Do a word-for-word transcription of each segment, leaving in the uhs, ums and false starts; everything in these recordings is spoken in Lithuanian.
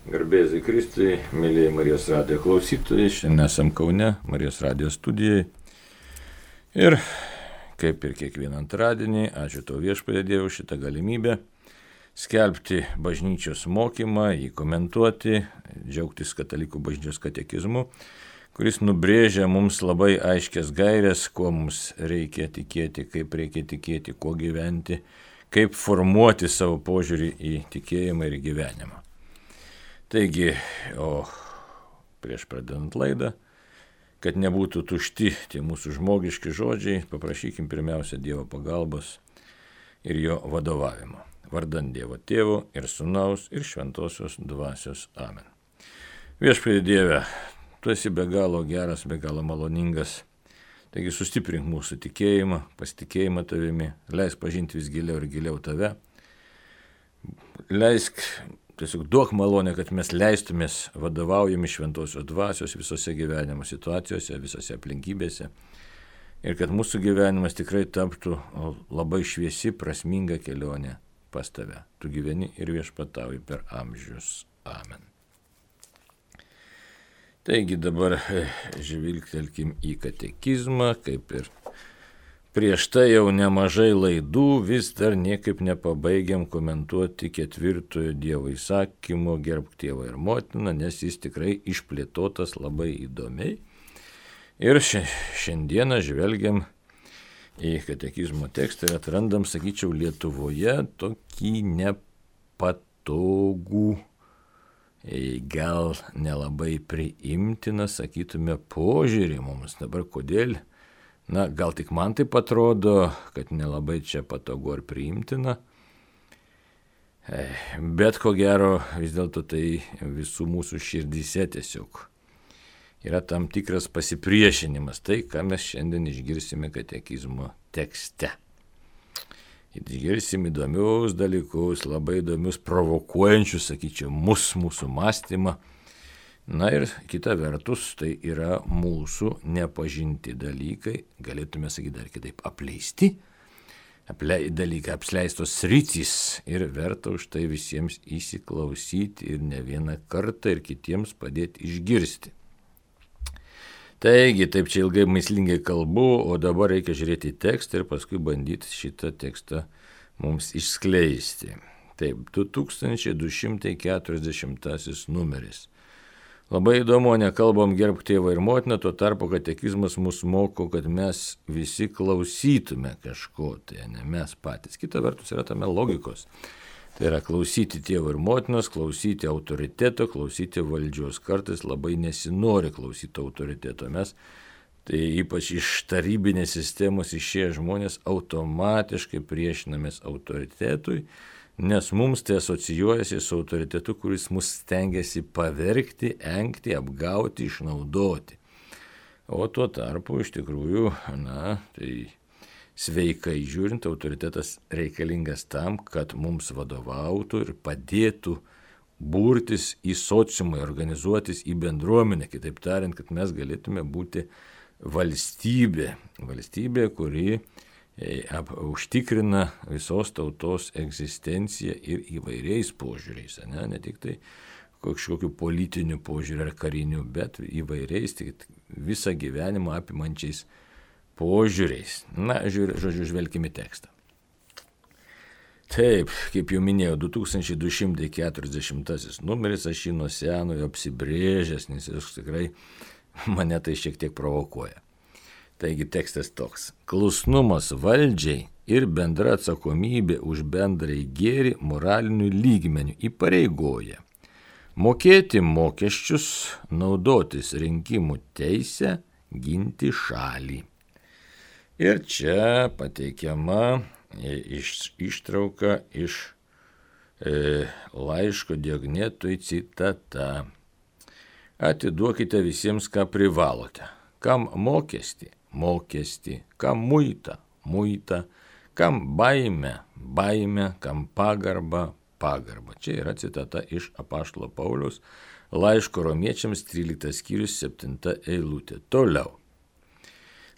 Garbėzai Kristui, mėlyje Marijos radijo klausytojai, šiandien esam Kaune, Marijos radijo studijai. Ir kaip ir kiekvieną antradienį, ačiū tau Viešpatie Dievui už šitą galimybę skelbti bažnyčios mokymą, jį komentuoti, džiaugtis katalikų bažnyčios katekizmu, kuris nubrėžia mums labai aiškias gairias, kuo mums reikia tikėti, kaip reikia tikėti, kuo gyventi, kaip formuoti savo požiūrį į tikėjimą ir gyvenimą. Taigi, o prieš pradedant laidą, kad nebūtų tušti tie mūsų žmogiški žodžiai, paprašykim pirmiausia Dievo pagalbos ir jo vadovavimo. Vardant Dievo Tėvo ir Sūnaus ir Šventosios Dvasios. Amen. Viešpatie Dieve, tu esi be galo geras, be galo maloningas. Taigi sustiprink mūsų tikėjimą, pasitikėjimą tavimi, leisk pažinti vis giliau ir giliau tave. Leisk, tiesiog duok malonę, kad mes leistumės vadovaujami Šventosios Dvasios visose gyvenimo situacijose, visose aplinkybėse. Ir kad mūsų gyvenimas tikrai taptų labai šviesi, prasminga kelionė pas tave. Tu gyveni ir viešpatauji per amžius. Amen. Taigi dabar žvilgtelkim į katekizmą, kaip ir prieš tai jau nemažai laidų, vis dar niekaip nepabaigiam komentuoti ketvirtojo Dievo įsakymo gerbk tėvą ir motiną, nes jis tikrai išplėtotas labai įdomiai. Ir šiandieną žvelgiam į katekizmo tekstą ir atrandam, sakyčiau, Lietuvoje tokį nepatogų, gal nelabai priimtiną, sakytume, požiūrį mums. Dabar kodėl? Na, gal tik man taip atrodo, kad nelabai čia patogu ar priimtina, bet ko gero vis dėlto tai visų mūsų širdyse tiesiog yra tam tikras pasipriešinimas, tai ką mes šiandien išgirsime katekizmo tekste. Išgirsim įdomius dalykus, labai įdomius, provokuojančius, sakyčiau, mus, mūsų mąstymą. Na ir kita vertus, tai yra mūsų nepažinti dalykai, galėtume sakyti dar kitaip, apleisti aplei, dalykai, apleistos sritys ir verta už tai visiems įsiklausyti ir ne vieną kartą ir kitiems padėti išgirsti. Taigi, taip čia ilgai mįslingai kalbu, o dabar reikia žiūrėti į tekstą ir paskui bandyti šitą tekstą mums išskleisti. Taip, du tūkstančiai du šimtai keturiasdešimtasis numeris. Labai įdomu, nekalbam gerbk tėvą ir motiną, tuo tarpu katekizmas mus moko, kad mes visi klausytume kažko, tai ne mes patys. Kita vertus yra tame logikos. Tai yra klausyti tėvo ir motinos, klausyti autoriteto, klausyti valdžios. Kartais labai nesinori klausyti autoriteto. Mes, tai ypač iš tarybinės sistemos išėję žmonės, automatiškai priešinamės autoritetui, nes mums tai asocijuojasi su autoritetu, kuris mus stengiasi pavergti, engti, apgauti, išnaudoti. O tuo tarpu iš tikrųjų, na, tai sveikai žiūrint, autoritetas reikalingas tam, kad mums vadovautų ir padėtų burtis į sociumą, organizuotis į bendruomenę. Kitaip tariant, kad mes galėtume būti valstybė, valstybė, kuri ap, užtikrina visos tautos egzistenciją ir įvairiais požiūriais, ne, ne tik tai kažkokiu politiniu požiūriu ar kariniu, bet įvairiais, tik visą gyvenimą apimančiais požiūriais. Na, žiūrė, žodžiu, žvelkime tekstą. Taip, kaip jau minėjau, du tūkstančiai du šimtai keturiasdešimtasis numeris, aš jį nuo senojo apsibrėžęs, nes jis tikrai mane tai šiek tiek provokuoja. Taigi tekstas toks. Klusnumas valdžiai ir bendra atsakomybė už bendrai gėrį moralinių lygmenių įpareigoja mokėti mokesčius, naudotis rinkimų teisę, ginti šalį. Ir čia pateikiama iš, ištrauka iš e, laiško Diognetui citata. Atiduokite visiems, ką privalote. Kam mokestį? Mokestį. Kam muitą? Muitą. Kam baimę? Baimę. Kam pagarbą? Pagarbą. Čia yra citata iš apaštalo Pauliaus laiško romiečiams tryliktas skyrius septinta eilutė. Toliau.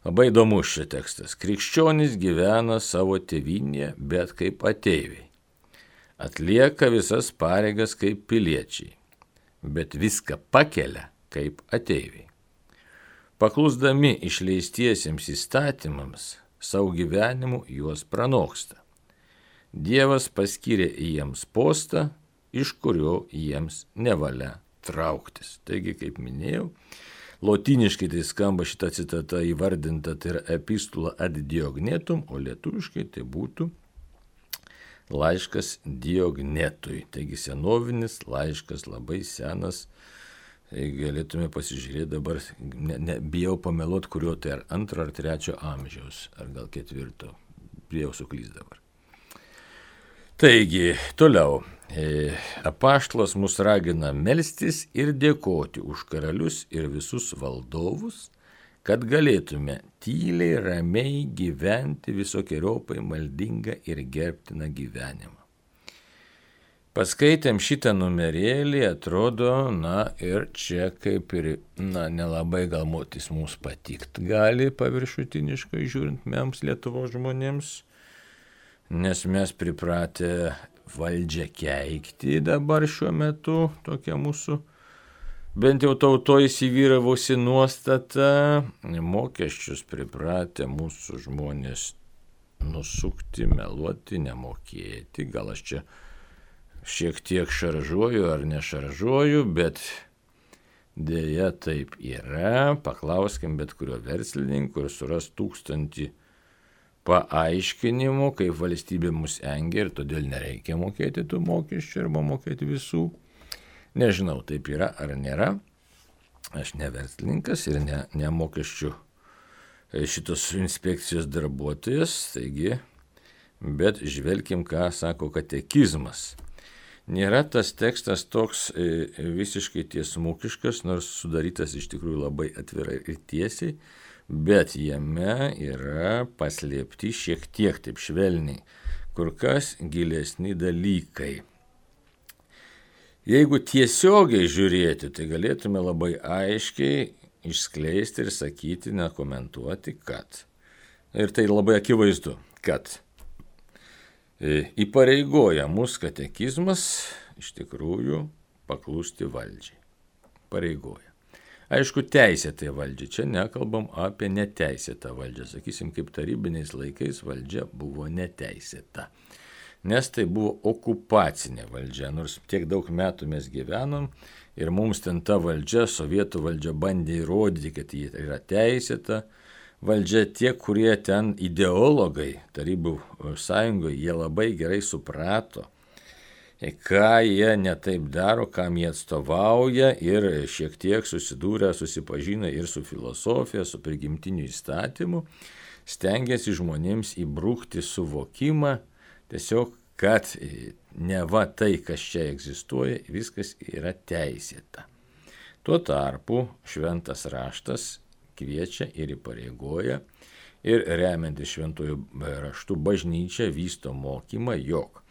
Labai įdomus šis tekstas. Krikščionys gyvena savo tėvynėje, bet kaip ateiviai. Atlieka visas pareigas kaip piliečiai. bet viską pakelia kaip ateiviai. Paklusdami išleistiesiems įstatymams, savo gyvenimu juos pranoksta. Dievas paskyrė jiems postą, iš kurio jiems nevalia trauktis. Taigi, kaip minėjau, lotyniškai tai skamba šita citata įvardinta, tai yra epistula ad Diognetum, o lietuviškai tai būtų laiškas Diognetui. Taigi senovinis laiškas, labai senas. Tai galėtume pasižiūrėti dabar, ne, ne, bijau pameluoti, kurio tai ar antro ar trečio amžiaus, ar gal ketvirto. Bijau suklysti dabar. Taigi, toliau. E, apaštalas mus ragina melstis ir dėkoti už karalius ir visus valdovus, kad galėtume tyliai, ramiai gyventi visokiojopai maldingą ir gerbtiną gyvenimą. Paskaitėm šitą numerėlį, atrodo, na ir čia kaip ir, na, nelabai galbūt jis mums patikt gali paviršutiniškai žiūrint mums Lietuvos žmonėms, nes mes pripratę valdžią keikti dabar šiuo metu, tokia mūsų bent jau tautoje įsivyravusi nuostata, mokesčius pripratę mūsų žmonės nusukti, meluoti, nemokėti, gal aš čia šiek tiek šaržuoju ar nešaržuoju, bet dėja taip yra. Paklauskim bet kurio verslininko ir suras tūkstantį paaiškinimų, kaip valstybė mus engia ir todėl nereikia mokėti tų mokesčių arba mokėti visų. Nežinau, taip yra ar nėra. Aš ne verslininkas ir ne, ne mokesčių šitos inspekcijos darbuotojas, taigi, bet žvelkim, ką sako katekizmas. Nėra tas tekstas toks visiškai tiesmukiškas, nors sudarytas iš tikrųjų labai atvirai ir tiesiai, bet jame yra paslėpti šiek tiek taip švelniai, kur kas gilesni dalykai. Jeigu tiesiogiai žiūrėti, tai galėtume labai aiškiai išskleisti ir sakyti, nekomentuoti, kad. Ir tai labai akivaizdu, kad įpareigoja mus katekizmas iš tikrųjų paklusti valdžiai. Pareigoja. Aišku, teisėtai valdžiai. Čia nekalbam apie neteisėtą valdžią. Sakysim, kaip tarybiniais laikais valdžia buvo neteisėta. Nes tai buvo okupacinė valdžia. Nors tiek daug metų mes gyvenom ir mums ten ta valdžia, sovietų valdžia bandė įrodyti, kad ji yra teisėta. Valdžia tie, kurie ten ideologai Tarybų sąjungoje, jie labai gerai suprato, ką jie netaip daro, kam jie atstovauja ir šiek tiek susidūrę, susipažino ir su filosofija, su prigimtiniu įstatymu, stengiasi žmonėms įbrukti suvokimą, tiesiog, kad neva tai, kas čia egzistuoja, viskas yra teisėta. Tuo tarpu šventas raštas kviečia ir įpareigoja ir remiantis šventuoju raštu bažnyčia vysto mokymą, jog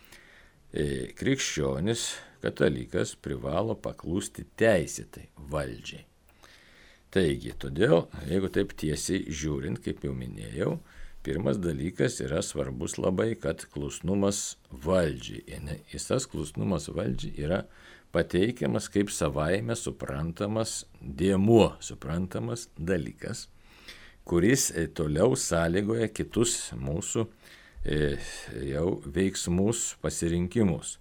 krikščionis, katalikas privalo paklusti teisėtai valdžiai. Taigi, todėl, jeigu taip tiesiai žiūrint, kaip jau minėjau, pirmas dalykas yra svarbus labai, kad klusnumas valdžiai. Ir tas klusnumas valdžiai yra pateikiamas kaip savaime suprantamas dėmuo, suprantamas dalykas, kuris toliau sąlygoja kitus mūsų jau veiksmus, pasirinkimus.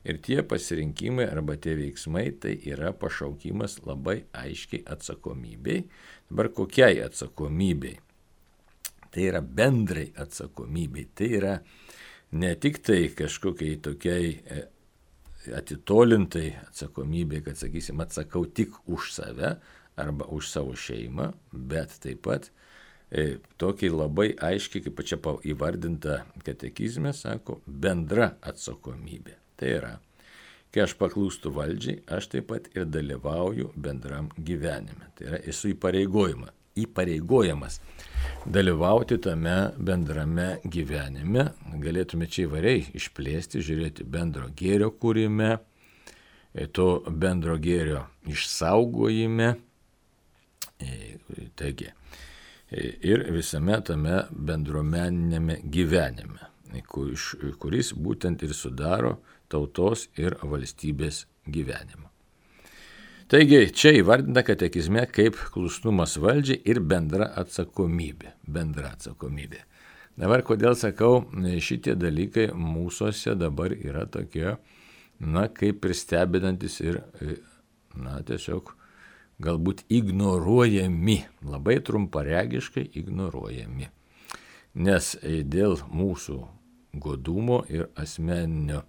Ir tie pasirinkimai arba tie veiksmai tai yra pašaukimas labai aiškiai atsakomybei. Dabar kokiai atsakomybei? Tai yra bendrai atsakomybei. Tai yra ne tik tai kažkokiai tokiai atitolintai atsakomybė, kad, sakysim, atsakau tik už save arba už savo šeimą, bet taip pat e, tokiai labai aiškiai, kaip čia įvardinta katekizme, sako, bendra atsakomybė. Tai yra, kai aš paklūstu valdžiai, aš taip pat ir dalyvauju bendram gyvenime. Tai yra, esu įpareigojama, įpareigojamas dalyvauti tame bendrame gyvenime. Galėtume čia įvairiai išplėsti, žiūrėti bendro gėrio kūrime, to bendro gėrio išsaugojime, taigi, ir visame tame bendruomeninėme gyvenime, kuris būtent ir sudaro tautos ir valstybės gyvenimą. Taigi, čia įvardinta katekizme kaip klusnumas valdžiai ir bendra atsakomybė. Bendra atsakomybė. Dabar, kodėl sakau, šitie dalykai mūsųse dabar yra tokie, na, kaip ir stebinantis ir, na, tiesiog galbūt ignoruojami, labai trumparegiškai ignoruojami. Nes dėl mūsų godumo ir asmeninio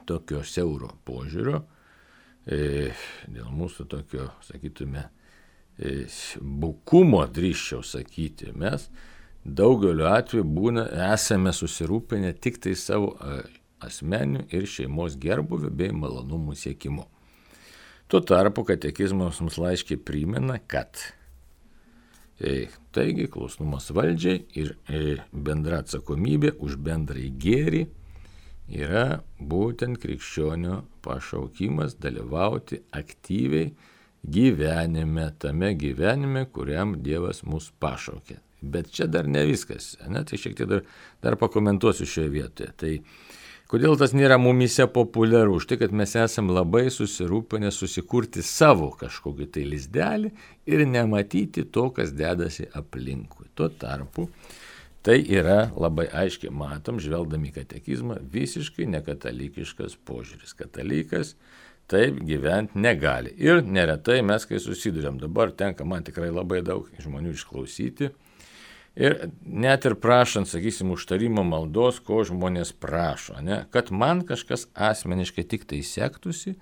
tokio siauro požiūrio, dėl mūsų tokio, sakytume, bukumo, drįsčiau sakyti, mes daugeliu atveju būna, esame susirūpinę tik tai savo asmeniniu ir šeimos gerbūviu bei malonumų siekimu. Tuo tarpu katekizmas mums laiškiai primena, kad e, taigi klusnumas valdžiai ir e, bendra atsakomybė už bendrąjį gėrį yra būtent krikščionio pašaukimas dalyvauti aktyviai gyvenime, tame gyvenime, kuriam Dievas mus pašaukė. Bet čia dar ne viskas, ne? Tai šiek tiek dar, dar pakomentuosiu šioje vietoje. Tai kodėl tas nėra mumise populiaru? Už tai, kad mes esam labai susirūpinę susikurti savo kažkokį tai lizdelį ir nematyti to, kas dedasi aplinkui. Tuo tarpu tai yra labai aiškiai matom, žvelgdami į katekizmą, visiškai nekatalikiškas požiūris. Katalikas taip gyventi negali. Ir neretai mes, kai susiduriam, dabar tenka man tikrai labai daug žmonių išklausyti. Ir net ir prašant, sakysim, užtarimo maldos, ko žmonės prašo, ne? Kad man kažkas asmeniškai tik tai sektųsi,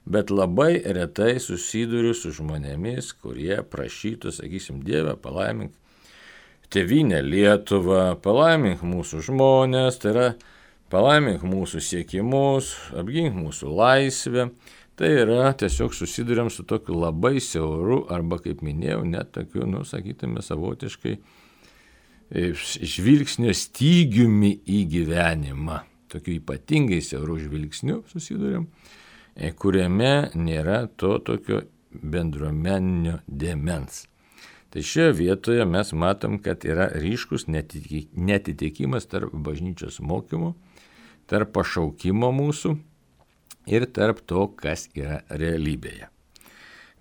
bet labai retai susiduriu su žmonėmis, kurie prašytų, sakysim, Dieve, palaimink tėvynę Lietuvą, palaimink mūsų žmonės, tai yra palaimink mūsų siekimus, apgink mūsų laisvę. Tai yra tiesiog susiduriam su tokiu labai siauru arba, kaip minėjau, net tokiu, nu, sakytume, savotiškai žvilgsnio stygiumi į gyvenimą, tokiu ypatingai siauru žvilgsniu susiduriam, kuriame nėra to tokio bendruomeninio dėmens. Tai šioje vietoje mes matom, kad yra ryškus netitikimas tarp bažnyčios mokymo, tarp pašaukimo mūsų ir tarp to, kas yra realybėje.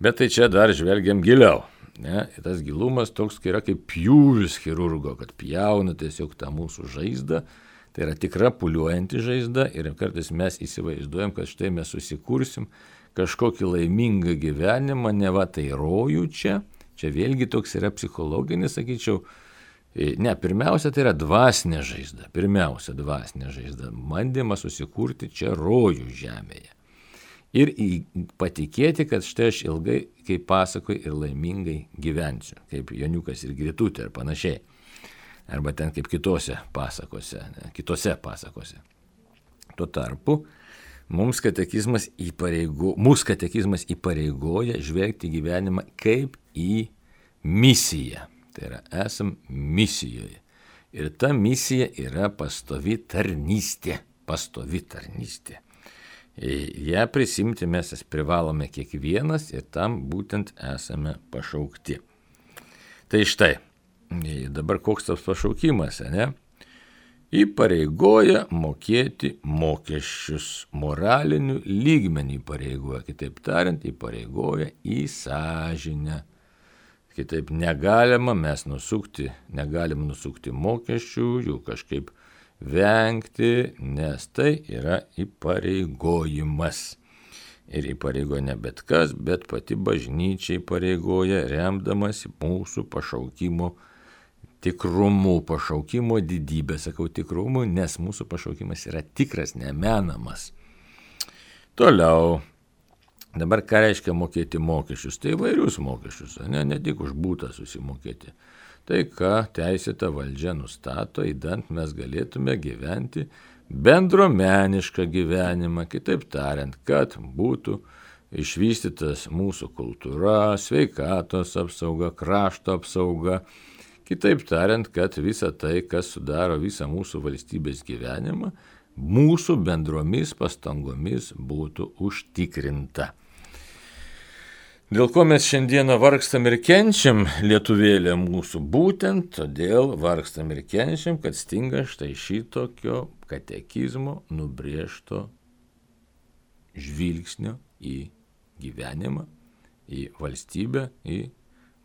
Bet tai čia dar žvelgiam giliau. Ne, tas gilumas toks yra kaip pjūvis chirurgo, kad pjauna tiesiog tą mūsų žaizdą, tai yra tikra puliuojanti žaizda ir kartais mes įsivaizduojam, kad štai mes susikursim kažkokį laimingą gyvenimą, ne va tai rojų čia, čia vėlgi toks yra psichologinis, sakyčiau, ne, pirmiausia tai yra dvasinė žaizda, pirmiausia dvasinė žaizda, bandymas susikurti čia rojų žemėje. Ir patikėti, kad štai aš ilgai, kaip pasakoju, ir laimingai gyvensiu, kaip Joniukas ir Gritutė ir panašiai. Arba ten kaip kitose pasakose, ne, kitose pasakose. Tuo tarpu mums katekizmas, įpareigo, mūsų katekizmas įpareigoja žvelgti gyvenimą kaip į misiją. Tai yra, esam misijoje. Ir ta misija yra pastovi tarnystė. Pastovi tarnystė. Ja prisimti mes privalome kiekvienas ir tam būtent esame pašaukti. Tai štai, dabar koks tas pašaukimas, ne? Įpareigoja mokėti mokesčius, moralinių lygmenį įpareigoja, kitaip tariant, įpareigoja į sąžinę. Kitaip negalima mes nusukti, negalim nusukti mokesčių, jų kažkaip vengti, nes tai yra įpareigojimas. Ir įpareigoja ne bet kas, bet pati bažnyčia įpareigoja, remdamasi mūsų pašaukimo tikrumu, pašaukimo didybę, sakau tikrumu, nes mūsų pašaukimas yra tikras, nemenamas. Toliau, dabar ką reiškia mokėti mokesčius? Tai įvairius mokesčius, ne, ne tik už būtą susimokėti. Tai, ką teisėta valdžia nustato, įdant mes galėtume gyventi bendruomenišką gyvenimą, kitaip tariant, kad būtų išvystytas mūsų kultūra, sveikatos apsauga, krašto apsauga, kitaip tariant, kad visa tai, kas sudaro visą mūsų valstybės gyvenimą, mūsų bendromis pastangomis būtų užtikrinta. Dėl ko mes šiandieną vargstam ir kenčiam, lietuvėlė mūsų, būtent todėl vargstam ir kenčiam, kad stinga štai šitokio katekizmo nubrėžto žvilgsnio į gyvenimą, į valstybę, į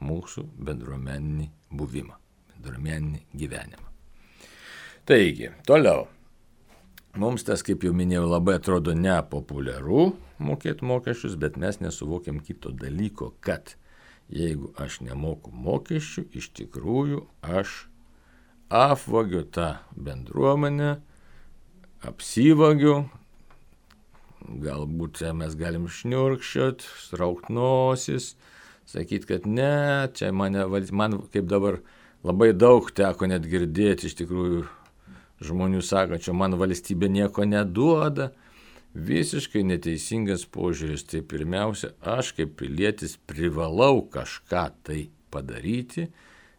mūsų bendruomeninį buvimą, bendruomeninį gyvenimą. Taigi, toliau. Mums tas, kaip jau minėjau, labai atrodo nepopuliaru mokėti mokesčius, bet mes nesuvokiam kito dalyko, kad jeigu aš nemoku mokesčių, iš tikrųjų aš apvagiu tą bendruomenę, apsivagiu, galbūt mes galim šniurkščiot, straukt nosis, sakyti, kad ne, čia mane, man kaip dabar labai daug teko net girdėti, iš tikrųjų žmonių sakančių, man valstybė nieko neduoda. Visiškai neteisingas požiūris. Tai pirmiausia, aš kaip pilietis privalau kažką tai padaryti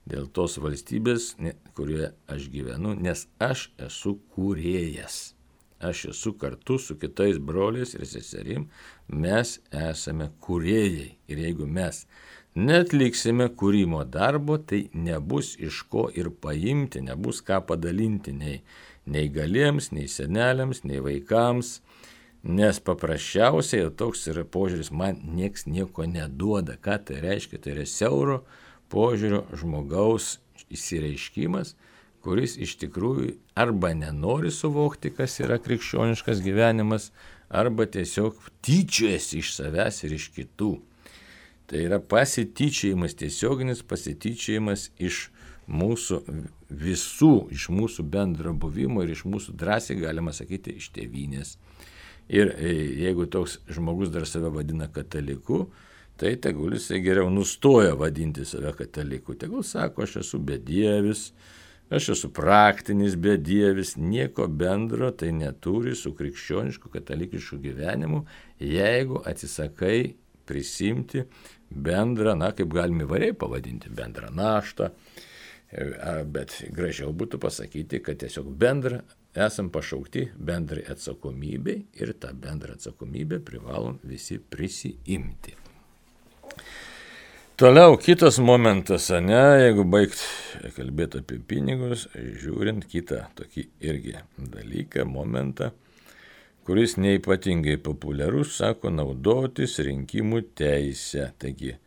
dėl tos valstybės, kurioje aš gyvenu, nes aš esu kūrėjas. Aš esu kartu su kitais broliais ir seserim, mes esame kūrėjai. Ir jeigu mes netliksime kūrimo darbo, tai nebus iš ko ir paimti, nebus ką padalinti nei neįgaliems, nei seneliams, nei vaikams, nes paprasčiausiai toks yra požiūris, man nieks nieko neduoda. Ką tai reiškia? Tai yra siauro požiūrio žmogaus įsireiškimas, kuris iš tikrųjų arba nenori suvokti, kas yra krikščioniškas gyvenimas, arba tiesiog tyčiojasi iš savęs ir iš kitų. Tai yra pasityčiojimas, tiesioginis pasityčiojimas iš mūsų visų, iš mūsų bendro buvimo ir iš mūsų drąsiai, galima sakyti, iš tėvynės. Ir jeigu toks žmogus dar save vadina kataliku, tai tegul jisai geriau nustoja vadinti save kataliku. Tegul sako, aš esu bedievis, aš esu praktinis bedievis, nieko bendro tai neturi su krikščionišku katalikišku gyvenimu, jeigu atsisakai prisimti bendrą, na, kaip galime įvairiai pavadinti, bendrą naštą, bet gražiau būtų pasakyti, kad tiesiog bendrą esam pašaukti bendrai atsakomybei ir tą bendrą atsakomybę privalom visi prisiimti. Toliau kitas momentas, ne, jeigu baigt kalbėti apie pinigus, žiūrint kitą tokį irgi dalyką, momentą, kuris neypatingai populiarus, sako, naudotis rinkimų teisę. Taigi,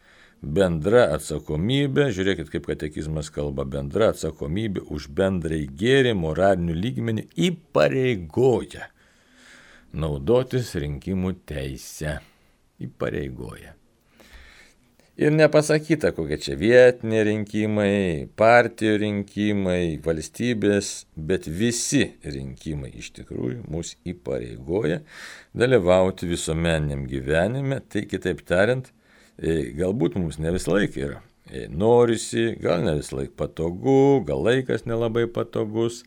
bendra atsakomybė, žiūrėkit, kaip katekizmas kalba, bendra atsakomybė už bendrai gėrį moralinių lygmenį įpareigoja naudotis rinkimų teisę. Įpareigoja. Ir nepasakyta, kokie čia vietiniai rinkimai, partijų rinkimai, valstybės, bet visi rinkimai iš tikrųjų mus įpareigoja dalyvauti visuomeniniam gyvenime. Tai kitaip tariant, galbūt mums ne visą laiką yra norisi, gal ne visą laiką patogu, gal laikas nelabai patogus,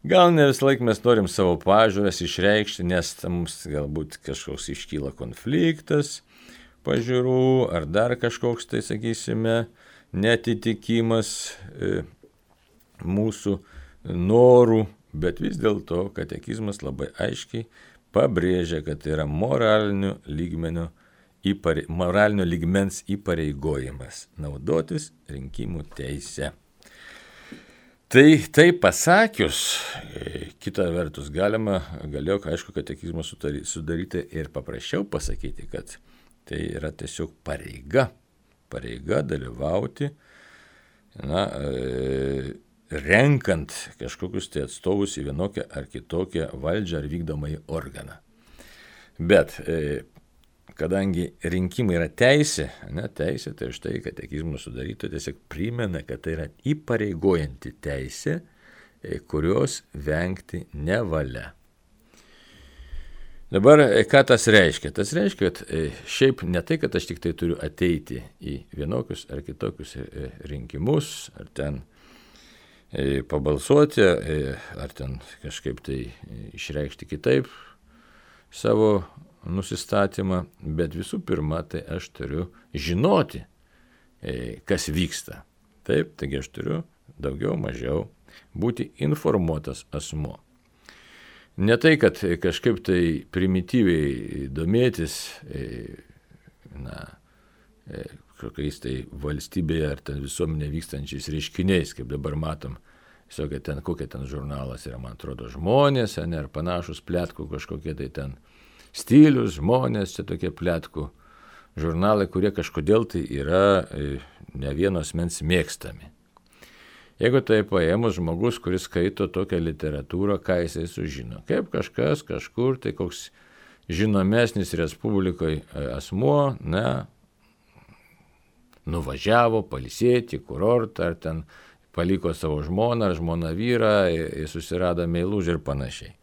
gal ne visą laiką mes norim savo pažiūras išreikšti, nes mums galbūt kažkoks iškyla konfliktas pažiūrų, ar dar kažkoks, tai sakysime, netitikimas e, mūsų norų, bet vis dėlto katekizmas labai aiškiai pabrėžia, kad tai yra moralinio lygmenio, įpare, moralinio lygmens įpareigojimas naudotis rinkimų teise. Tai, tai pasakius, kita vertus galima, galėjo, aišku, katekizmą sudaryti ir paprasčiau pasakyti, kad tai yra tiesiog pareiga, pareiga dalyvauti, na, renkant kažkokius tai atstovus į vienokią ar kitokią valdžią ar vykdomąjį organą. Bet kadangi rinkimai yra teisė, ne, teisė, tai štai katekizmo sudaryto tiesiog primena, kad tai yra įpareigojanti teisė, kurios vengti nevalia. Dabar, ką tas reiškia? Tas reiškia, kad šiaip ne tai, kad aš tik tai turiu ateiti į vienokius ar kitokius rinkimus, ar ten pabalsuoti, ar ten kažkaip tai išreikšti kitaip savo nusistatymą, bet visų pirma, tai aš turiu žinoti, kas vyksta. Taip, taigi aš turiu daugiau mažiau būti informuotas asmuo. Ne tai, kad kažkaip tai primityviai domėtis, na, kokiais tai valstybėje ar ten visuomenė vykstančiais reiškiniais, kaip dabar matom, visokia ten, kokia ten žurnalas yra, man atrodo, žmonės, ne, ar panašus pletkų kažkokie tai ten stilius, žmonės, čia tokie pletkų žurnalai, kurie kažkodėl tai yra ne vienos mens mėgstami. Jeigu tai paėmus žmogus, kuris skaito tokią literatūrą, ką jisai sužino, kaip kažkas kažkur, tai koks žinomesnis Respublikoje asmuo, ne, nuvažiavo pailsėti, kurortą, ar ten paliko savo žmoną, ar žmoną vyrą, susirado meilužį ir panašiai.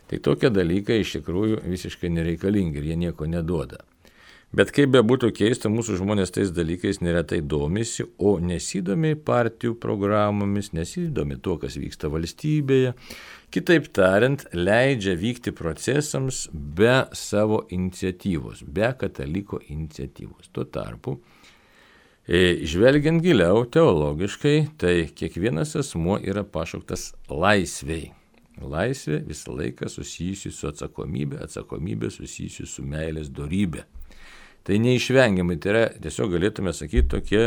Tai tokie dalykai iš tikrųjų visiškai nereikalingi ir jie nieko neduoda. Bet kaip be būtų keista, mūsų žmonės tais dalykais neretai domisi, o nesidomi partijų programomis, nesidomi tuo, kas vyksta valstybėje. Kitaip tariant, leidžia vykti procesams be savo iniciatyvos, be kataliko iniciatyvos. Tuo tarpu, žvelgiant giliau teologiškai, tai kiekvienas asmuo yra pašauktas laisvei. Laisvė visą laiką susijusi su atsakomybė, atsakomybė susijusi su meilės dorybė. Tai neišvengiamai, tai yra, tiesiog galėtume sakyti, tokie,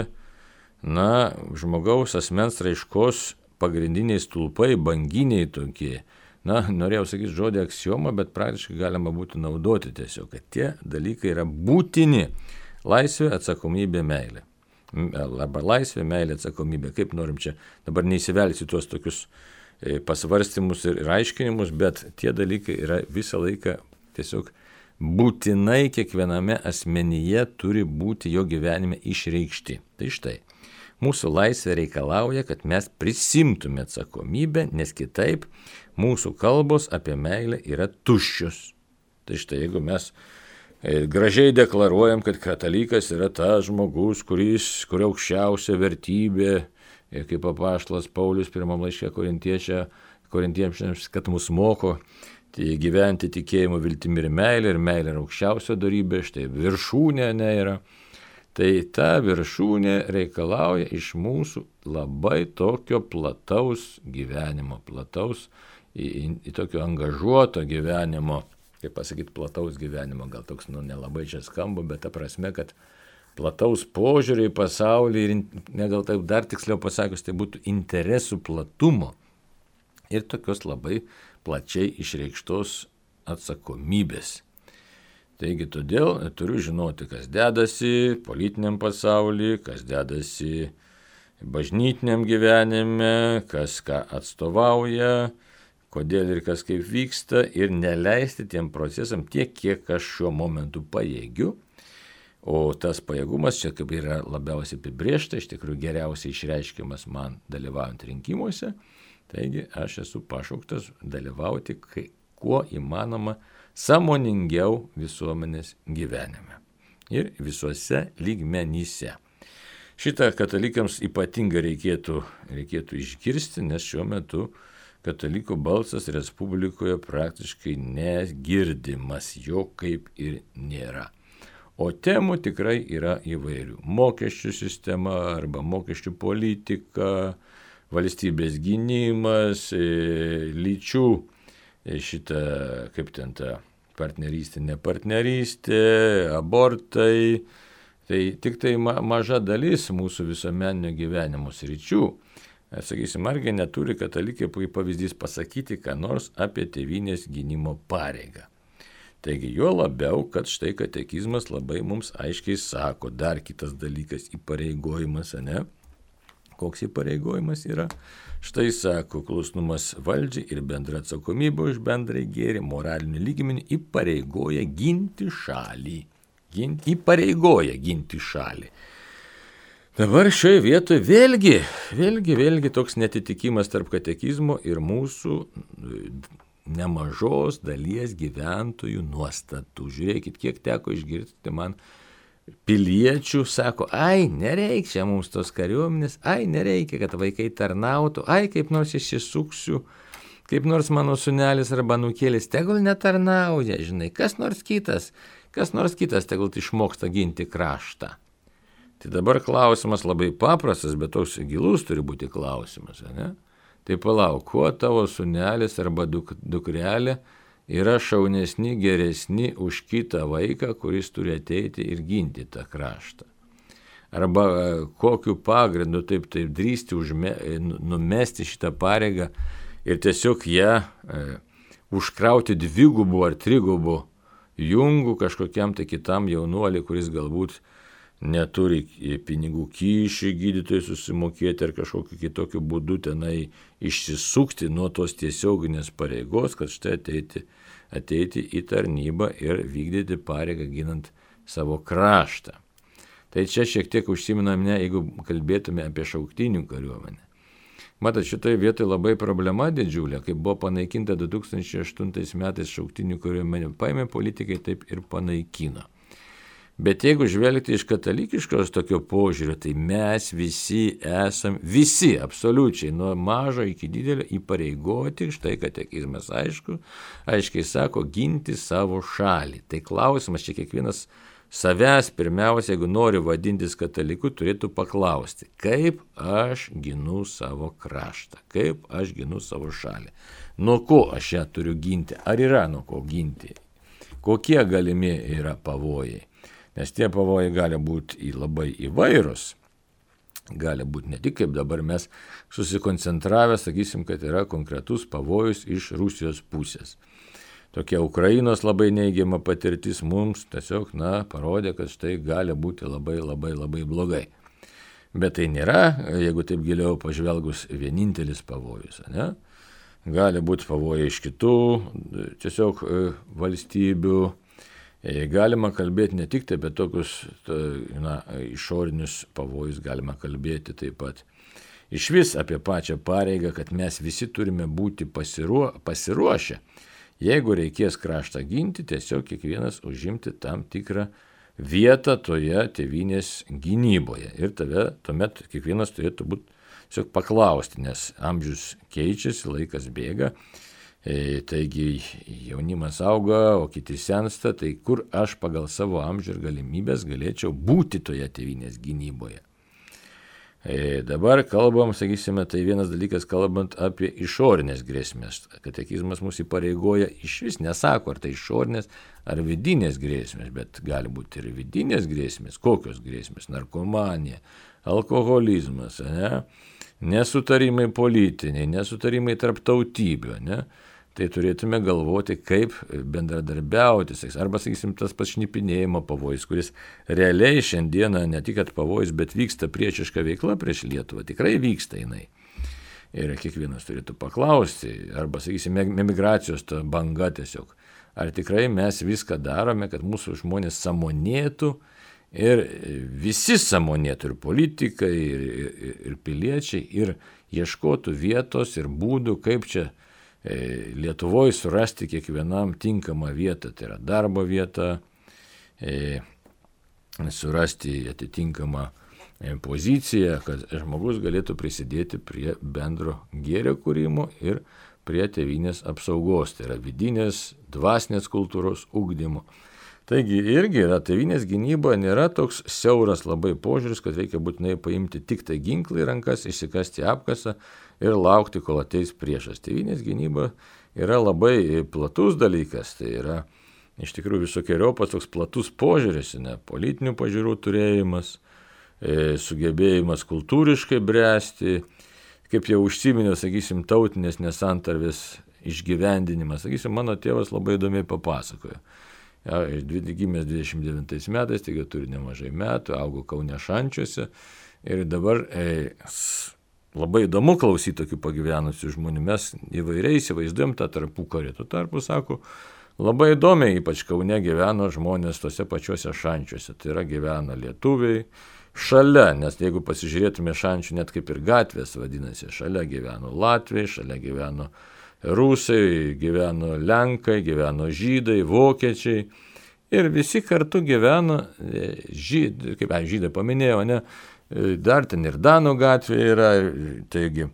na, žmogaus asmens raiškos pagrindiniai stulpai, banginiai tokie. Na, norėjau sakyti žodį aksioma, bet praktiškai galima būtų naudoti tiesiog, kad tie dalykai yra būtini. Laisvė, atsakomybė, meilė. Arba laisvė, meilė, atsakomybė. Kaip norim čia dabar neįsivelsi tuos tokius pasvarstymus ir aiškinimus, bet tie dalykai yra visą laiką tiesiog būtinai kiekviename asmenyje turi būti jo gyvenime išreikšti. Tai štai, mūsų laisvė reikalauja, kad mes prisimtume atsakomybę, nes kitaip mūsų kalbos apie meilę yra tuščios. Tai štai, jeigu mes gražiai deklaruojam, kad katalikas yra tas žmogus, kuris, kurio aukščiausia vertybė, kaip apaštalas Paulius pirmam laiške korintiečiams, kad mus moko gyventi tikėjimu, viltimi ir meilė, ir meilė yra aukščiausia dorybė, štai viršūnė ne yra. Tai ta viršūnė reikalauja iš mūsų labai tokio plataus gyvenimo, plataus, į, į, į tokio angažuoto gyvenimo, kaip pasakyti, plataus gyvenimo, gal toks, nu, nelabai čia skamba, bet ta prasme, kad plataus požiūrį į pasaulį ir, ne gal taip dar tiksliau pasakius, tai būtų interesų platumo ir tokios labai plačiai išreikštos atsakomybės. Taigi todėl turiu žinoti, kas dedasi politiniam pasaulyje, kas dedasi bažnytiniam gyvenime, kas ką atstovauja, kodėl ir kas kaip vyksta, ir neleisti tiem procesam tiek, kiek aš šiuo momentu pajėgiu. O tas pajėgumas čia kaip yra labiausiai apibrėžta, iš tikrųjų geriausiai išreiškiamas man dalyvaujant rinkimuose. Taigi aš esu pašauktas dalyvauti kai, kuo įmanoma sąmoningiau visuomenės gyvenime ir visuose lygmenyse. Šitą katalikams ypatingai reikėtų, reikėtų išgirsti, nes šiuo metu katalikų balsas Respublikoje praktiškai negirdimas, jo kaip ir nėra. O temų tikrai yra įvairių. Mokesčių sistema arba mokesčių politika, valstybės gynimas, lyčių šitą, kaip ten ta partnerystė, nepartnerystė, abortai. Tai tik tai ma- maža dalis mūsų visuomeninio gyvenimo sričių. Sakysim, argi neturi katalikai kaip pavyzdys pasakyti, ką nors apie tėvynės gynimo pareigą. Taigi jo labiau, kad štai katekizmas labai mums aiškiai sako, dar kitas dalykas įpareigojimas, ne? Koks įpareigojimas yra? Štai sako, klusnumas valdžiai ir bendra atsakomybė už bendrai gėrį, moralinių lygmenį įpareigoja ginti šalį. Ginti, įpareigoja ginti šalį. Dabar šioje vietoje vėlgi, vėlgi, vėlgi toks netitikimas tarp katekizmo ir mūsų nemažos dalies gyventojų nuostatų. Žiūrėkit, kiek teko išgirsti man piliečių, sako, ai, nereikia mums tos kariuomenės, ai, nereikia, kad vaikai tarnautų, ai, kaip nors išsisuksiu, kaip nors mano sunelis arba nukėlis, tegul netarnauja, žinai, kas nors kitas, kas nors kitas tegul išmoksta ginti kraštą. Tai dabar klausimas labai paprastas, bet toks gilus turi būti klausimas, ne? Tai palauk, kuo tavo sunelis arba duk, dukrelė yra šaunesni, geresni už kitą vaiką, kuris turi ateiti ir ginti tą kraštą. Arba kokiu pagrindu taip, taip drįsti užme, numesti šitą pareigą ir tiesiog ją e, užkrauti dvigubų ar trigubų jungu kažkokiam tai kitam jaunuoliui, kuris galbūt neturi pinigų kyšį gydytojai susimokėti ar kažkokiu kitokiu būdu tenai išsisukti nuo tos tiesioginės pareigos, kad štai ateiti, ateiti į tarnybą ir vykdyti pareigą ginant savo kraštą. Tai čia šiek tiek užsiminame, jeigu kalbėtume apie šauktinių kariuomenę. Matot, šitoje vietoje labai problema didžiulė, kai buvo panaikinta du tūkstančiai aštuntais metais šauktinių kariuomenė, paėmė politikai taip ir panaikino. Bet jeigu žvelgti iš katalikiškos tokio požiūrio, tai mes visi esam, visi absoliučiai, nuo mažo iki didelio įpareigoti, štai katekizmas aišku, aiškiai sako, ginti savo šalį. Tai klausimas, čia kiekvienas savęs pirmiausia, jeigu nori vadintis kataliku, turėtų paklausti, kaip aš ginu savo kraštą, kaip aš ginu savo šalį, nuo ko aš ją turiu ginti, ar yra nuo ko ginti, kokie galimi yra pavojai. Nes tie pavojai gali būti labai įvairūs, gali būti ne tik kaip dabar mes susikoncentravę, sakysim, kad yra konkretus pavojus iš Rusijos pusės. Tokia Ukrainos labai neigiama patirtis mums tiesiog, na, parodė, kad štai gali būti labai labai labai blogai. Bet tai nėra, jeigu taip giliau pažvelgus, vienintelis pavojus, ne? Gali būti pavojai iš kitų tiesiog valstybių. Galima kalbėti ne tik apie tokius na, išorinius pavojus, galima kalbėti taip pat iš vis apie pačią pareigą, kad mes visi turime būti pasiruo, pasiruošę. Jeigu reikės kraštą ginti, tiesiog kiekvienas užimti tam tikrą vietą toje tėvynės gynyboje. Ir tave tuomet kiekvienas turėtų būti tiesiog paklausti, nes amžius keičiasi, laikas bėga. E, taigi jaunimas auga, o kiti sensta, tai kur aš pagal savo amžių ir galimybės galėčiau būti toje tėvynės gynyboje. E, dabar kalbam, sakysime, tai vienas dalykas kalbant apie išorinės grėsmės. Katekizmas mus įpareigoja iš vis, nesako, ar tai išorinės ar vidinės grėsmės, bet gali būti ir vidinės grėsmės. Kokios grėsmės? Narkomanija, alkoholizmas, ne? Nesutarimai politiniai, nesutarimai tarp tautybių, ne? Tai turėtume galvoti, kaip bendradarbiauti, arba, sakysim, tas pats šnipinėjimo pavojus, kuris realiai šiandieną ne tik kad pavojus, bet vyksta priešiška veikla prieš Lietuvą, tikrai vyksta jinai. Ir kiekvienas turėtų paklausti, arba, sakysim, emigracijos ta banga tiesiog, ar tikrai mes viską darome, kad mūsų žmonės sąmonėtų ir visi sąmonėtų, ir politikai, ir, ir, ir piliečiai, ir ieškotų vietos ir būdų, kaip čia Lietuvoje surasti kiekvienam tinkamą vietą, tai yra darbo vieta, e, surasti atitinkamą poziciją, kad žmogus galėtų prisidėti prie bendro gėrio kūrimo ir prie tėvynės apsaugos, tai yra vidinės, dvasinės kultūros ugdymo. Taigi irgi yra tėvynės gynyba, nėra toks siauras labai požiūris, kad reikia būtinai paimti tik tai ginklą į rankas, išsikasti apkasą ir laukti, kol ateis priešas. Tėvynės gynyba yra labai platus dalykas, tai yra iš tikrųjų visokiojopas toks platus požiūris, ne, politinių pažiūrų turėjimas, e, sugebėjimas kultūriškai bręsti, kaip jau užsiminiau, sakysim, tautinės nesantarvės išgyvendinimas. Sakysim, mano tėvas labai įdomiai papasakojo. Ja, gimęs dvidešimt devintais metais, taigi turi nemažai metų, augo Kaune Šančiuose ir dabar e, labai įdomu klausyti tokių pagyvenusių žmonių. Mes įvairiai įsivaizduojam tą tarpukarį. Tuo tarpu, sako, labai įdomiai, ypač Kaune gyveno žmonės tose pačiuose Šančiuose. Tai yra gyvena lietuviai šalia, nes jeigu pasižiūrėtume Šančių, net kaip ir gatvės vadinasi, šalia gyveno latviai, šalia gyveno rusai, gyveno lenkai, gyveno žydai, vokiečiai ir visi kartu gyveno, žydai, kaip aš žydai paminėjau, ne, dar ten ir Danų gatvė yra, taigi,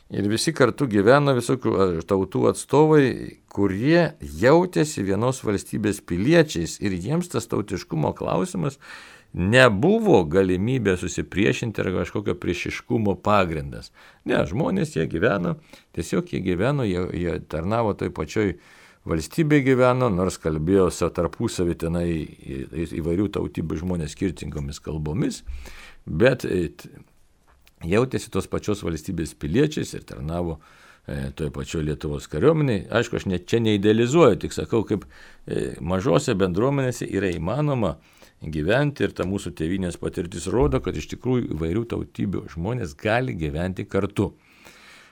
ir visi kartu gyveno visokių tautų atstovai, kurie jautėsi vienos valstybės piliečiais ir jiems tas tautiškumo klausimas nebuvo galimybė susipriešinti ar kažkokio priešiškumo pagrindas. Ne, žmonės jie gyveno, tiesiog jie gyveno, jie, jie tarnavo toj pačioj valstybėje gyveno, nors kalbėjo tarpusavį tenai įvairių tautybių žmonės skirtingomis kalbomis, bet jautėsi tos pačios valstybės piliečiais ir tarnavo toje pačioje Lietuvos kariuomeniai. Aišku, aš net čia neidealizuoju, tik sakau, kaip mažose bendruomenėse yra įmanoma gyventi ir ta mūsų tėvynės patirtis rodo, kad iš tikrųjų įvairių tautybių žmonės gali gyventi kartu.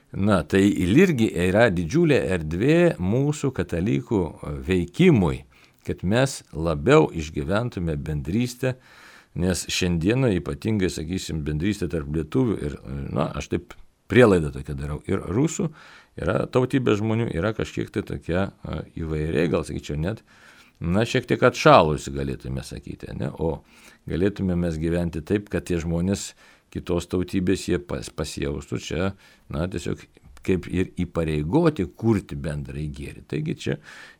Na, tai irgi yra didžiulė erdvė mūsų katalikų veikimui, kad mes labiau išgyventume bendrystę, nes šiandieną ypatingai, sakysim, bendrystė tarp lietuvių ir, na, aš taip prielaidą tokią darau, ir rusų, yra tautybė žmonių, yra kažkiek tai tokia įvairiai, gal sakyčiau net, na, šiek tiek atšalusi galėtume sakyti, ne? O galėtume mes gyventi taip, kad tie žmonės kitos tautybės jie pas, pasijaustų čia, na, tiesiog kaip ir įpareigoti kurti bendrai gėrį. Taigi čia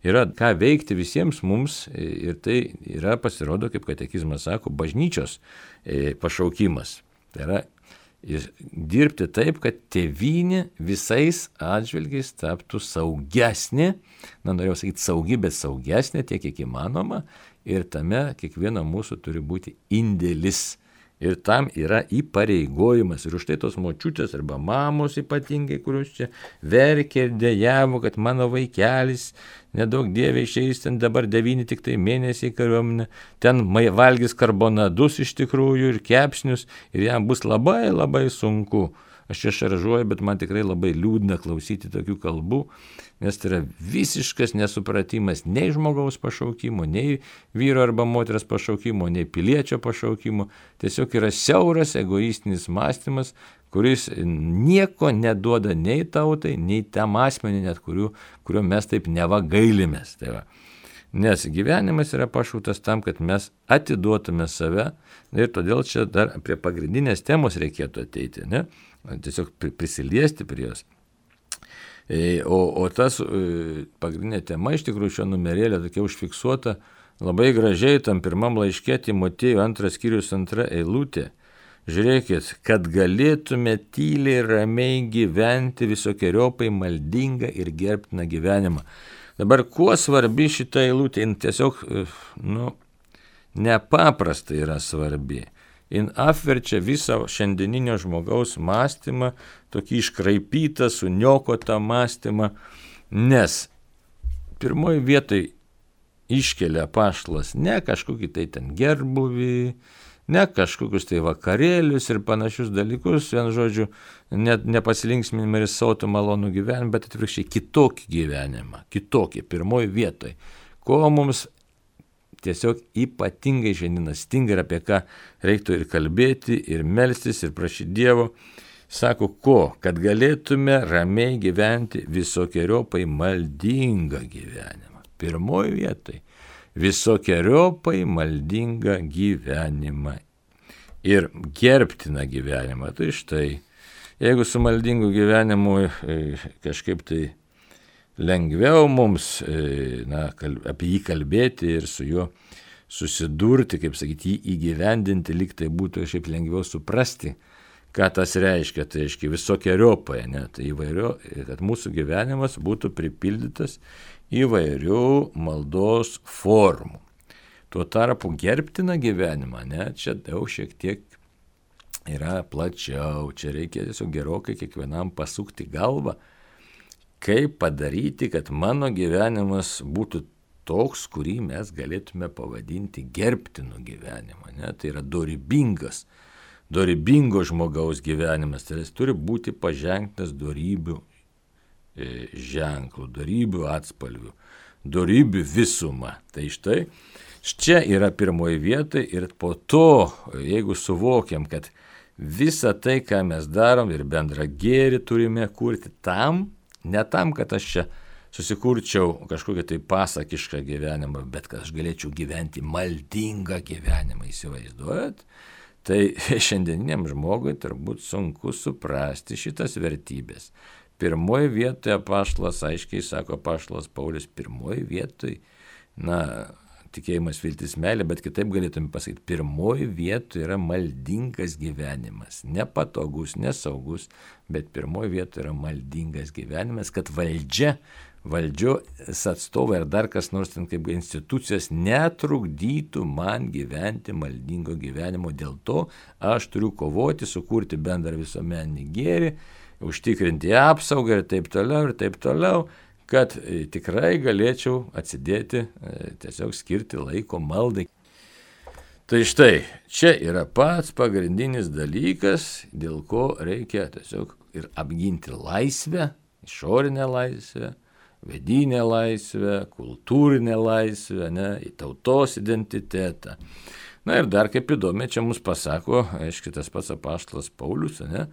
yra ką veikti visiems mums ir tai yra, pasirodo, kaip katekizmas sako, bažnyčios pašaukimas. Tai yra dirbti taip, kad tėvynė visais atžvilgiais taptų saugesnė, na, norėjau sakyti saugi, bet saugesnė tiek, kiek įmanoma, ir tame kiekvieno mūsų turi būti indėlis. Ir tam yra įpareigojimas. Ir už tai tos močiutės arba mamos ypatingai, kurios čia verkė ir dejavo, kad mano vaikelis, nedaug dievė išeis ten dabar devyni tik tai mėnesiai kariuomenė, ten valgys karbonadus iš tikrųjų ir kepsnius ir jam bus labai labai sunku. Aš čia šaržuoju, bet man tikrai labai liūdna klausyti tokių kalbų, nes tai yra visiškas nesupratimas nei žmogaus pašaukimo, nei vyro arba moters pašaukimo, nei piliečio pašaukimo. Tiesiog yra siauras egoistinis mąstymas, kuris nieko neduoda nei tautai, nei tam asmeniui, net kuriuo, kuriuo mes taip neva gailimės. Tai va. Nes gyvenimas yra pašauktas tam, kad mes atiduotume save ir todėl čia dar prie pagrindinės temos reikėtų ateiti, ne? Tiesiog prisiliesti prie jos. O, o tas pagrindinė tema iš tikrųjų šio numerėlio tokia užfiksuota labai gražiai tam pirmam laiške Timotiejui antras skyrius antra eilutė. Žiūrėkit, kad galėtume tyliai ramiai gyventi visokiojopai maldingą ir gerbtiną gyvenimą. Dabar kuo svarbi šita eilutė, jin tiesiog, nu, nepaprastai yra svarbi. Jin apverčia visą šiandieninio žmogaus mąstymą, tokį iškraipytą, suniokotą mąstymą, nes pirmoji vietoj iškelia apaštalas ne kažkokį tai ten gerbuvį, ne kažkokius tai vakarėlius ir panašius dalykus, vien žodžiu, net nepasilinksminimą ir sotų malonų gyvenimą, bet atvirkščiai kitokį gyvenimą, kitokį, pirmoji vietoj, ko mums tiesiog ypatingai šiandieną stinga ir apie ką reiktų ir kalbėti, ir melstis, ir prašyti Dievo. Sako, ko? Kad galėtume ramiai gyventi visokiojopai maldingą gyvenimą. Pirmoji vietoj. Visokiojopai maldingą gyvenimą. Ir gerbtiną gyvenimą. Tai štai, jeigu su maldingu gyvenimu kažkaip tai lengviau mums, na, apie jį kalbėti ir su juo susidurti, kaip sakyti, jį įgyvendinti, lyg tai būtų šiaip lengviau suprasti, ką tas reiškia, tai reiškia visokiojopai, ne, tai įvairio, kad mūsų gyvenimas būtų pripildytas įvairių maldos formų. Tuo tarpu gerbtiną gyvenimą, ne, čia daug šiek tiek yra plačiau, čia reikia tiesiog gerokai kiekvienam pasukti galvą, kaip padaryti, kad mano gyvenimas būtų toks, kurį mes galėtume pavadinti gerbtinu gyvenimu. Ne? Tai yra dorybingas, dorybingo žmogaus gyvenimas. Tai jis turi būti paženktas dorybių e, ženklų, dorybių atspalvių, dorybių visumą. Tai štai, čia yra pirmoji vieta ir po to, jeigu suvokiam, kad visą tai, ką mes darom ir bendrą gėrį turime kurti tam, ne tam, kad aš čia susikurčiau kažkokią tai pasakišką gyvenimą, bet kad aš galėčiau gyventi maldingą gyvenimą, įsivaizduojat? Tai šiandieniniam žmogui turbūt sunku suprasti šitas vertybės. Pirmoji vietoje apaštalas, aiškiai sako apaštalas Paulius, pirmoji vietoje, na, tikėjimas, viltis, meilė, bet kitaip galėtume pasakyti, pirmoji vietoje yra maldingas gyvenimas, nepatogus, nesaugus, bet pirmoji vietoje yra maldingas gyvenimas, kad valdžia, valdžios atstovai ar dar kas nors ten kaip institucijos netrukdytų man gyventi maldingo gyvenimo. Dėl to aš turiu kovoti, sukurti bendrą visuomeninį gėrį užtikrinti apsaugą ir taip toliau, ir taip toliau, kad tikrai galėčiau atsidėti, tiesiog skirti laiko maldai. Tai štai, čia yra pats pagrindinis dalykas, dėl ko reikia tiesiog ir apginti laisvę, išorinę laisvę, vidinę laisvę, kultūrinę laisvę, ne, į tautos identitetą. Na ir dar kaip įdomi, čia mums pasako, aiškiai, tas pats apaštalas Paulius, ne,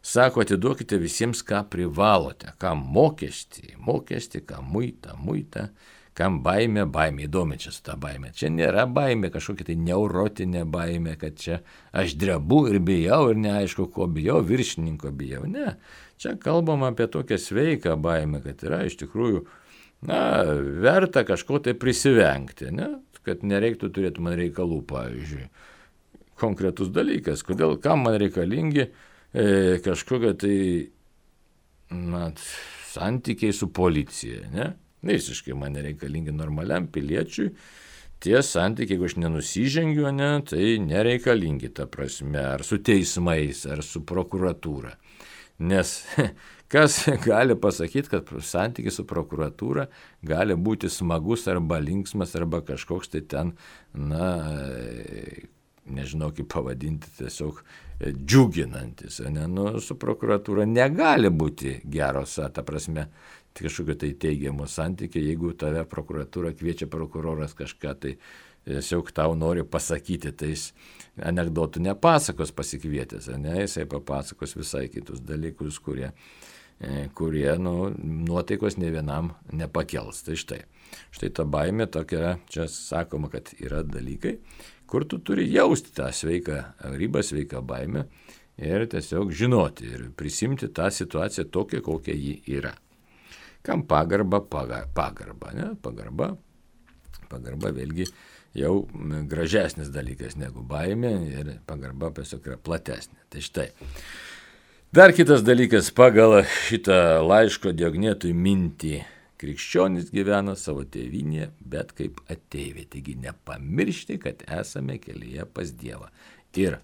sako, atiduokite visiems, ką privalote, kam mokestį, mokestį, kam muitą, muitą, kam baimė, baimė, įdomi čia su ta baimė. Čia nėra baimė, kažkokia tai neurotinė baimė, kad čia aš drebu ir bijau ir neaišku, ko bijau, viršininko bijau. Ne, čia kalbam apie tokią sveiką baimę, kad yra iš tikrųjų, na, verta kažko tai prisivengti, ne, kad nereiktų turėti man reikalų, pavyzdžiui. Konkretus dalykas, kodėl, kam man reikalingi e, kažkokia tai, na, santykiai su policija, ne? Visiškai man nereikalingi normaliam piliečiui, tie santykiai, jeigu aš nenusižengiu, ne, tai nereikalingi ta prasme, ar su teismais, ar su prokuratūra. Nes kas gali pasakyti, kad santykis su prokuratūra gali būti smagus arba linksmas, arba kažkoks tai ten, na, nežinau kaip pavadinti, tiesiog džiuginantis. Ne? Nu, su prokuratūra negali būti geros, ta prasme, kažkokio tai teigiamo santykio, jeigu tave prokuratūra kviečia prokuroras kažką, tai tiesiog tau nori pasakyti, tai jis anekdotų nepasakos pasikvietęs, ne, jisai papasakos visai kitus dalykus, kurie, kurie nu, nuotaikos ne vienam nepakels. Tai štai, štai ta baimė tokia, čia sakoma, kad yra dalykai, kur tu turi jausti tą sveiką ribą, sveiką baimę ir tiesiog žinoti ir prisimti tą situaciją tokią, kokia ji yra. Kam pagarba, pagarba, ne? Pagarba, pagarba vėlgi jau gražesnis dalykas negu baimė ir pagarba tiesiog yra platesnė. Tai štai. Dar kitas dalykas, pagal šitą laiško Diognetui mintį, krikščionys gyvena savo tėvynėje, bet kaip ateiviai. Taigi nepamiršti, kad esame kelyje pas Dievą. Ir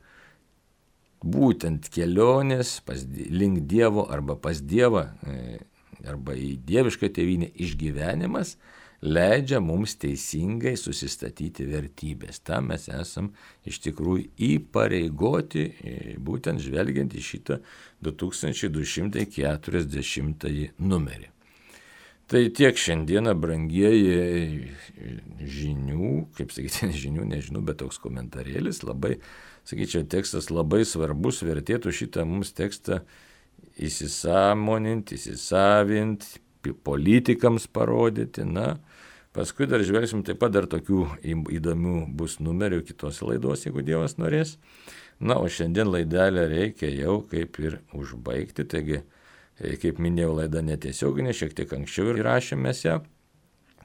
būtent kelionės pas, link Dievo arba pas Dievą, arba į dievišką tėvynę išgyvenimas leidžia mums teisingai susistatyti vertybės. Tam mes esam iš tikrųjų įpareigoti, būtent žvelgiant į šitą du tūkstančiai du šimtai keturiasdešimtąjį numerį. Tai tiek šiandieną, brangieji, žinių, kaip sakyti, žinių, nežinau, bet toks komentarėlis, labai, sakyčiau, tekstas labai svarbus, vertėtų šitą mums tekstą įsisamoninti, įsisavinti, politikams parodyti, na, paskui dar žvelgsim taip pat dar tokių įdomių bus numerių kitos laidos, jeigu Dievas norės. Na, o šiandien laidelę reikia jau kaip ir užbaigti, taigi, kaip minėjau, laida netiesioginė, šiek tiek anksčiau įrašėme ją,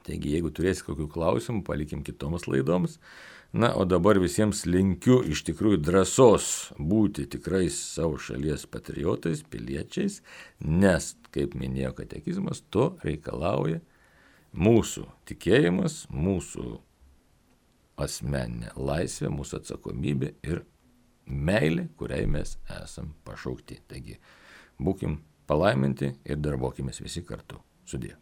taigi jeigu turėsite kokių klausimų, palikim kitoms laidoms. Na, o dabar visiems linkiu iš tikrųjų drąsos būti tikrais savo šalies patriotais, piliečiais, nes, kaip minėjo katekizmas, to reikalauja mūsų tikėjimas, mūsų asmeninė laisvė, mūsų atsakomybė ir meilė, kuriai mes esam pašaukti. Taigi, būkim palaiminti ir darbokimės visi kartu. Sudie.